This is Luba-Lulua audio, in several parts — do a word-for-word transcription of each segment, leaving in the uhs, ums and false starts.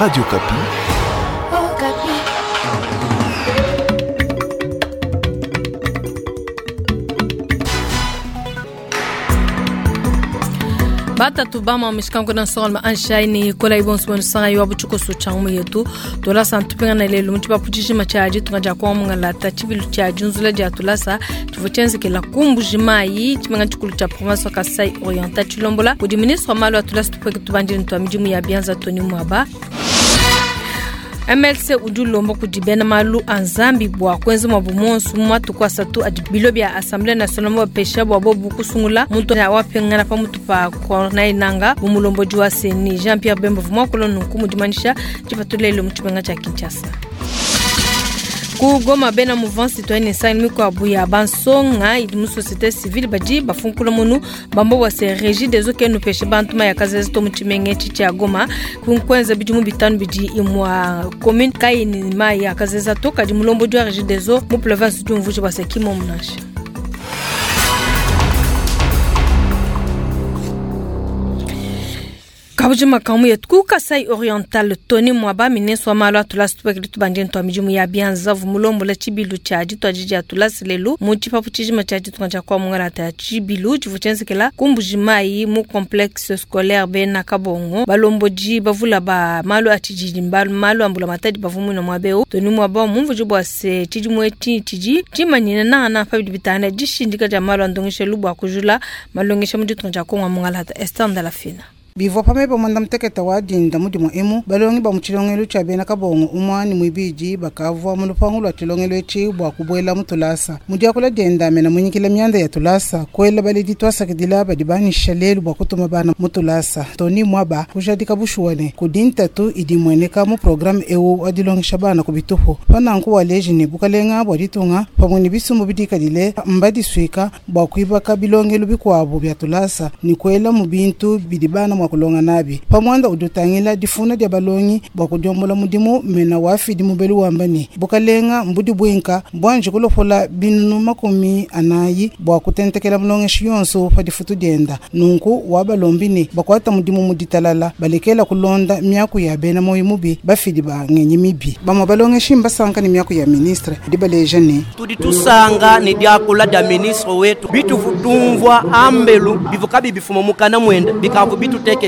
Radio Okapi. Oh, Okapi. Batatu bama mishikangu na nsonga anshaini kola ibonso bonu sanga yo buchuko changu yetu tolasa ntupinga lelo mutu baputishima chaji tunga kwa mungalata chibilu cha junzula ja tulasa tuvuchenzekela kumbujimayi chimenga chikulu cha province Kasai Oriental chilombola kudi ministre malo atulasa tupweke tubandini twa midimu ya bianza Tony Mwaba. M L C udi ulomba kudi bena malu a nzambi bua kuenza mwabu monsu mu matuku asatu adi bilo bia Assemblée nationale mu bapesha bua bobu kusungula muntu wapingana pa mutu pa Corneille Nangaa bu mulombodi wa C E N I. Jean-Pierre Bemba vumwa kulo nunku mudimanyisha dipatulelo mu tshimenga tshia Kinshasa. Ku Goma bena mouvement citoyen esangani mikuabu ya bansonga idi mu société civile badi bafunkula munu bamba bua se régie des eaux ke nupeshe bantu mayi akazezi to mu tshimenga etshi tshia Goma. Kunkwenza bidimu bitanu bidi imua commune kayi ni mayi akazeza to kadi mulombodi wa régie des eaux mu province du Mvuji bua se kimo munasha. Kabuji makamu yetu ku Kasai Oriental Tony Mwaba ministre wa malu a tulasa tupekele tubandini twa midimu ya bianza vumulombola tshibilu tshia dituadi dia tulasa lelu mu tshipapu tshijima tshia ditunga tshia kwa mungalata ya tshibilu tshivu tshienzekela ku Mbujimayi mu complexe scolaire bena Kabongo balombodi bavula ba malu a tshididi mbalu malu a mbulamatadi bavumuna mwabeu Tony Mwaba mumvuji bua se tshidimu etshi tshidi tshimanyine nangana pa bidi bitana dishindika dia malu a ndongesha bua kujula malongesha mu ditunga tshia Kongo mungalata Esther Ndalafina. Bivua pamwe mwanda muteketa wa dinda mudimu emu balongi ba muchilongelo cha bena Kabongo umwani mwibiji bakavua mu lupangu lwa chilongelo echi bua kubwela mu tulasa mudiakula denda mena munyikila myanda ya tulasa kwela baledi twasakidila badi banisha lelu bua kutuma bana mu tulasa Tony Mwaba kujadika bushuwane kudintatu idi mweneka mu programme ewu adilongesha bana ku bitupu pananku waleji ne bukalenga bua ditunga pamwe ne bisumbu bidikadile mbadiswika bua kuibaka bilongelo bikuabu bya tulasa ni kwela mu bintu bidi bana mwa kulonga nabi pamwanda udutangila difuna dia balongi bua kudiombola mudimu mena wafidi mubelu wambani bukalenga mbudi bwinka bwanje kulopola binunu makumi anayi bua kutentekela mulongeshi yonso pa difutu dienda nunku wabalombini bakwata mudimu muditalala balekela kulonda miaku ya bena moyo mubi bafidi ba ngenyi mibi bamwe balongeshi mbasanka ni miaku ya ministre dibaleja ne tudi tusanga ni diakula dia ministre wetu bituvutumvwa ambelu bivukabi bifuma mukana mwenda bikavu bituteke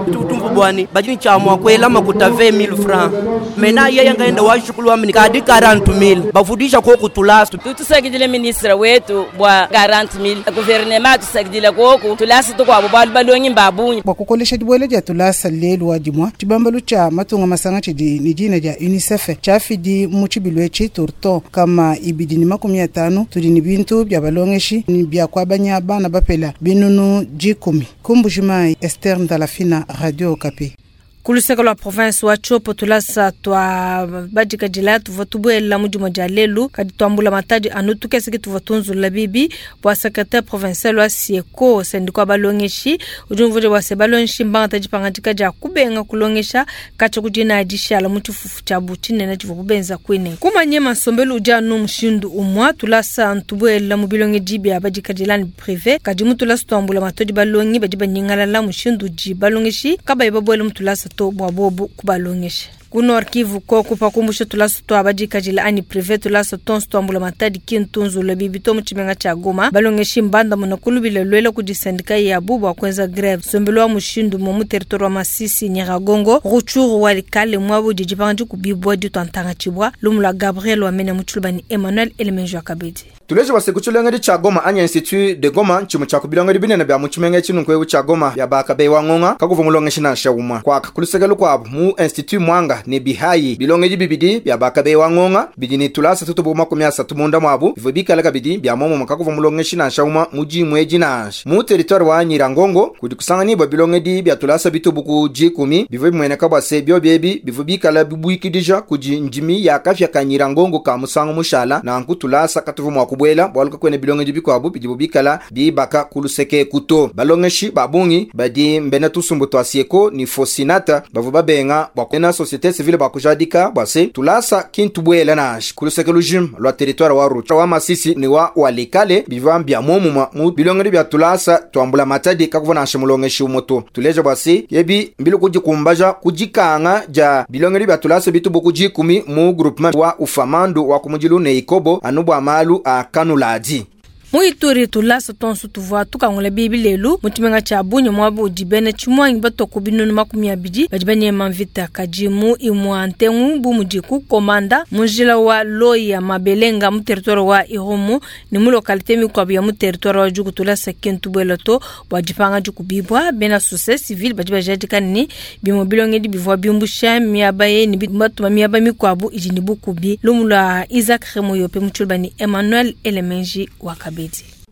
tutumvu bwani badini chamwa kwela makuta vingt mille francs mena yeye ngaenda washukulu amini kadi quarante mille bavudisha ko kutulasa tutusakidile ministre wetu bwa quarante mille gouvernement tusakidile koku tulasa tukwabo balu balongi mbabunyi bwa kukolesha dibwele dia tulasa lelu wa dimwa tshibambalu tsha matunga masanga tshidi ni dina dia UNICEF tshafidi mu tshibilu etshi turto kama ibidi ni makumi atanu tudi ni bintu bya balongeshi ni bya kwabanya bana bapela binunu jikumi kumbujimai Esther Ndalafina, Radio Okapi. Kuluseka lwa province wa Tshopo tulasa twa badikadila tuvua tubuela mudimu dia lelu kadi tuambula matadi anu tukeseke tuvua tunzula bibi bua secrétaire provincial wa Sieko sendikwa balongeshi udi umvuja bua se balongeshi mbangata dipangadika dia kubenga kulongesha katshia kudina dishala mu tshifufu tshiabu tshinene tshivua kubenza kwine kumanye masombelu udi anu mushindu umua tulasa ntubuela mu bilongedi bia badikadila ni privé kadi mu tulasa tuambula matodi balongi badi banyingalala mushindu udi balongeshi kabayi babuela mu tulasa to bua bobu kubalongesha. Ku Nord Kivu koku pakumbusha tulasa twa badikadila ani privé tulasa tonso tuambula matadi kintunzula bibi to mu tshimenga tshia Goma balongeshi mbanda muna kulubile lwela kudi sindika yabu bua kuenza grève sombelo wa mushindu mo mu territoire wa Masisi Nyiragongo Rutshuru Walikale mwabu didi pangadi kubibwa ditwantanga tshibwa lumu lwa Gabriel Wamene mu tshilubani Emmanuel Elemenjo Akabedi. Tuleje basekuchulengeri cha Goma anya Institut de Goma nchimu cha kubilongeri binene bya muchimenga chinunkwe cha Goma ya bakabe wangonga kakuva mulongeshi na shauma kwa kulusegelu kwa mu Institut Mwanga ne bihayi bilongeji bibidi bya bakabe wangonga bidini tulasa tutubu makumi asatu munda mwabu bivyo bikala kabidi bya momo makakuva mulongeshi na shauma muji mweji na mu territoire wa Nyirangongo kudi kusangani bwa bilongedi bya tulasa bitubuku jikumi bivyo bimweneka bwa se byo byebi bivyo bikala bibuikidija kudi ndimi ya kafya ka Nyirangongo ka musango mushala na nkutulasa katuvu mwa kubuela bwalu kakwena bilongedi bikwabu bidibu bikala bibaka kuluseke kuto. Balongeshi babungi badi mbena tusumbu twa sieko ni fosinata bavu babenga bwa kwena société civile bakujadika bwase tulasa kintu bwela nashi kuluseke lujim lwa territoire wa Rucha wa Masisi ni wa Walikale biva bya momuma mu bilongedi bya tulasa twambula matadi kakuvona nashe mulongeshi umoto. Tuleja bwase yebi mbilu kujikumbaja kujikanga ja bilongedi bya tulasa bitubu kujikumi mu groupement wa ufamandu wa kumujilu ne ikobo anubwa malu a kanuladi. Muituri tulasa tonso tuvua tukangula bibi lelu mutumenga cha bunye mwabu udibene chimwangi batoko binunu makumi abidi badi banyema mvita kajimu imwa ntengu bu mudiku komanda munjila wa Loya Mabelenga mu territoire wa Irumu ni mu localité mikwabu ya mu territoire wa Djugu tulasa kintu bwelato bwa dipanga dikubibwa bena société civile badi bajadika ni bimo bilongedi bivua bimbusha miaba ye ni batuma miaba mikwabu idi ni bukubi lumula Isaac Remoyope mutshulba ni Emmanuel Elemenji wa Kabedi.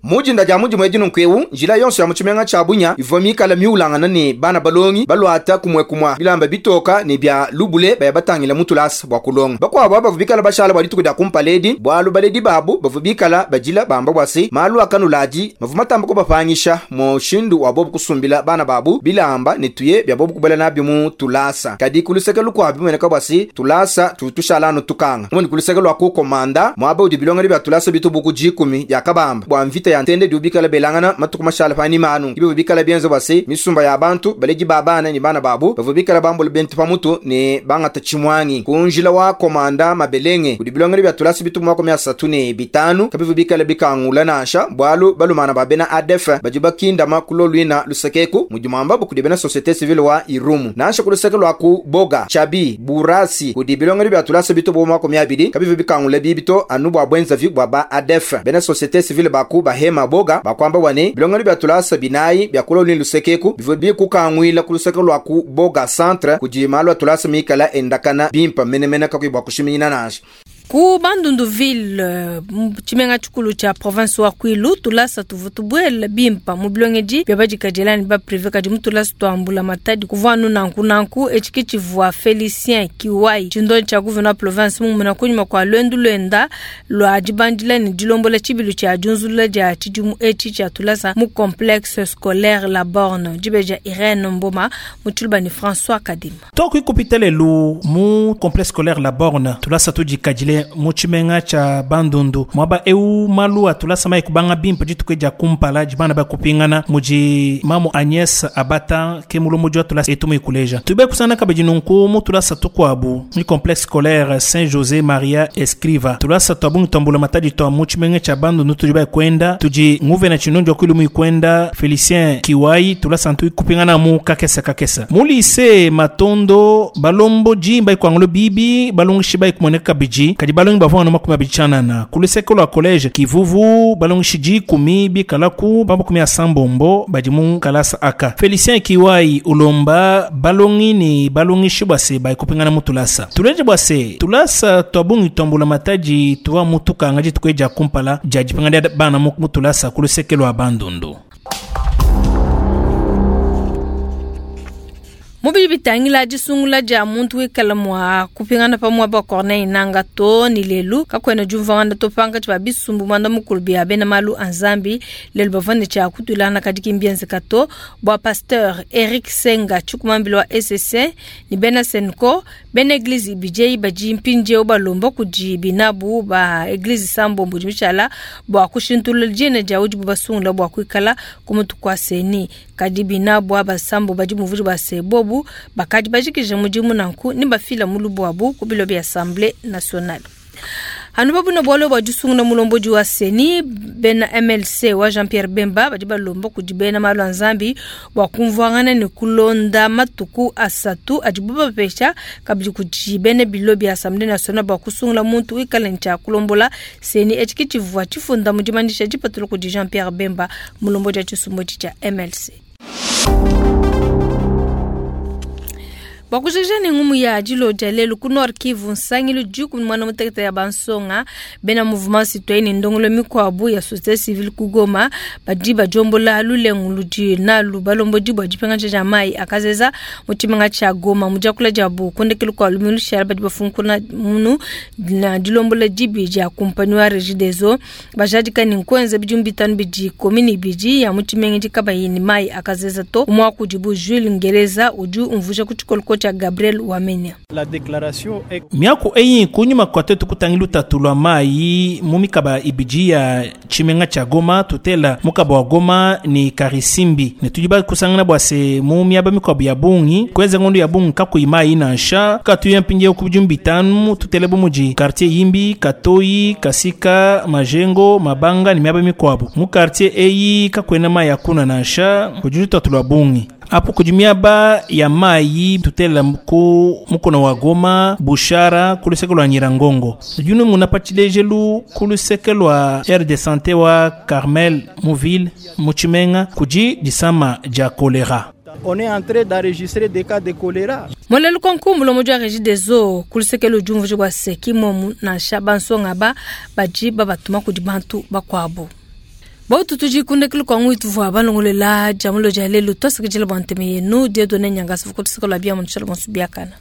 Mujinda ja muji mwedi nunkwewu njila yonso ya muchimenga cha bunya ivo mikala miulangana ni bana balongi balwata kumwe kumwa bilamba bitoka ni bya lubule baya batangila mutulasa bwa kulonga bakwabo bavu bikala bashala bwa dituku dya kumpaledi bwalu baledi babu bavu bikala bajila bamba bwasi malu akanulaji mavu matamba kubapangisha mushindu wa bobu kusumbila bana babu bilamba ni tuye bya bobu kubala nabyo mu tulasa kadi kuluseke lukwabi mweneka bwasi tulasa tutushalano tukanga mwene kuluseke lwa kukomanda mwaba udi bilonga bya tulasa bitubuku jikumi ya kabamba bwa mvita ya ntende diubikala belangana matuku mashala pani manu ibe bikala bienzo basi misumba ya bantu baleji babana ni bana babu bavu bikala bambula bentu pamutu ni bangata chimwangi kunjila wa komanda mabelenge kudibilongere bya tulasi bitu mwako mia satu ne bitanu kabivu bikala bikangula nasha bwalu balumana babena A D F bajiba kinda makulo lwina lusekeku mujumamba bukudibena société civile wa Irumu nasha kuluseke lwa ku Boga Chabi Burasi kudibilongere bya tulasi bitu mwako mia bidi kabivu bikangula bibito anubu abwenza vi bwa ba A D F bena société civile baku bahema maboga bakwamba wane bilongani bya tulasa binayi bya kulo ni lusekeku bivo bikukangwila kuluseke lwa ku Boga centre kujimalwa tulasa mikala endakana bimpa menemene kakwi kushiminyina nasha. Ku Bandunduville chimenga chikulu cha province wa Kwilu tulasa tuvutubwela bimpa mu bilongeji bya badikajelani ba privé kadi mutulasa twambula matadi kuvanu nanku nanku echiki chivua Felicien Kiwai chindo cha gouverneur province mu muna kunyuma kwa lwendu lwenda lwa dibandila ni dilombola chibilu cha junzula ja chidimu echi cha tulasa mu complexe scolaire La Borne dibeja Irene Mboma mutulba ni François Kadima Toku ikupitele lu mu complexe scolaire La Borne tulasa tudikajile muchimenga cha Bandundu mwaba eu malu atulasa mai kubanga bimpa ditukeja kumpala jibana ba kupingana muji mamu Agnès Abata ke mulomo atulasa etumu ikuleja tube kusana kabeji nunku mutulasa tukwabu ni complexe scolaire Saint José Maria Escriva tulasa twabungi twambula matadi twa muchimenga cha Bandundu tujiba kwenda tuji nguve na chinonjo kwilumu ikwenda Felicien Kiwai tulasa ntu kupingana mu kakesa kakesa mulise Matondo balombo jimba ikwangolo bibi balongishi ba ikumoneka biji kadi balongi bavua no makumi abichanana kuluseke lwa college Kivuvu balongi shiji kumi bikalaku bambo kumi asambombo badimu kalasa aka Felicien Kiwai ulomba balongi ni balongi shibwase ba ikupingana mutulasa tuleje bwase tulasa twabungi twambula mataji tuwa mutuka ngaji tukweja kumpala jaji pangana bana mutulasa kuluseke lwa Bandundu. Mubili bitangila disungula ja muntu wikala mwa kupingana pamwe ba Corneille Nanga to ni lelu kakwena jumvanga to panga twa bisumbu mwanda mukulu bya bena malu anzambi lelu bavane cha kutulana kadiki mbienze kato bwa pasteur Eric Senga chukumambilo wa S S C ni bena Senko bena eglise B J baji mpinje obalomba kuji binabu ba eglise sambo mbujimichala bwa kushintula jene ja ujibu basungula bwa kwikala kumutu kwa seni kadi binabu abasambo baji muvuji ba sebobu bakadi bajikije mujimu nanku ni bafila mulubu wabu kubilo bya Assemblée nationale. Hanu babu na bwalo ba jusunguna mulomboji wa seni bena M L C wa Jean-Pierre Bemba badi balomba kujibena malu anzambi wa kumvwangana ni kulonda matuku asatu ajibuba pesha kabili kujibene bilo bya Assemblée nationale ba kusungula muntu ikala ncha kulombola seni echikichivwa chifunda mujimandisha jipatulo ku Jean-Pierre Bemba mulomboji wa chisumbo cha M L C. Bua kujikija ne ngumu ya dilo dia lelu ku Nord Kivu, nsangilu dikumi ne muanda mutekete ya bansonga bena mouvement citoyen ne ndongolo mikuabu ya société civile ku Goma badi badiombola lulengu ludi nalu balombodi bua dipingaja dia mayi akazeza mu tshimenga tshia Goma. Mu diakula diabu ku ndekelu kua lumingu lushala badi bafunkuna munu na dilombola dibi dia kumpanyi wa Regideso, bajadika ne nkuenza bidimu bitanu bidi komini ibidi ya mu tshimenga idi kabayi ne mayi akazeza to. Umue wa kudibu Jules Ngereza udi umvuija ku tshikoloko tshia Gabriel Wamenya. La déclaration est Miaku eyi kunyima kua tuetu kutangila lutatu lua mayi mu mikaba ibidi ya tshimenga tshia Goma, tutela mukaba wa Goma ne Karisimbi, ne tudi bakusangana bua se mu miaba mikuabu ya bungi kuenza ngondo ya bungi kakuyi mayi nansha. Katuya mpindieu ku bidimu bitanu, tutele bu mudi quartier Yimbi, Katoyi, Kasika, Majengo, Mabanga ne miaba mikuabu. Mu quartier eyi kakuena mayi akuna nansha, kudi lutatu lua bungi apo kudi miaba ya mayi tutela ku mukuna wa Goma, Bushara, ku luseke lua Nyirangongo. Tudi muna pa tshilejelu ku luseke lua aire de santé wa Carmel mu ville mu tshimenga kudi disama dia choléra. On est en train d'enregistrer des cas de choléra. Molelu konku mulomo wa Regideso ku luseke ludi umvuija bua se kimomu nansha bansonga ba badi babatuma kudi bantu bakuabu. Bautu tudi ku ndekelu kua ngui tuvua balongolela dia mulo dia lelu, tuasakidila bua ntema yenu. Dieudonne Nyangasi ku luseke lua bia mu nshala bonso biakana.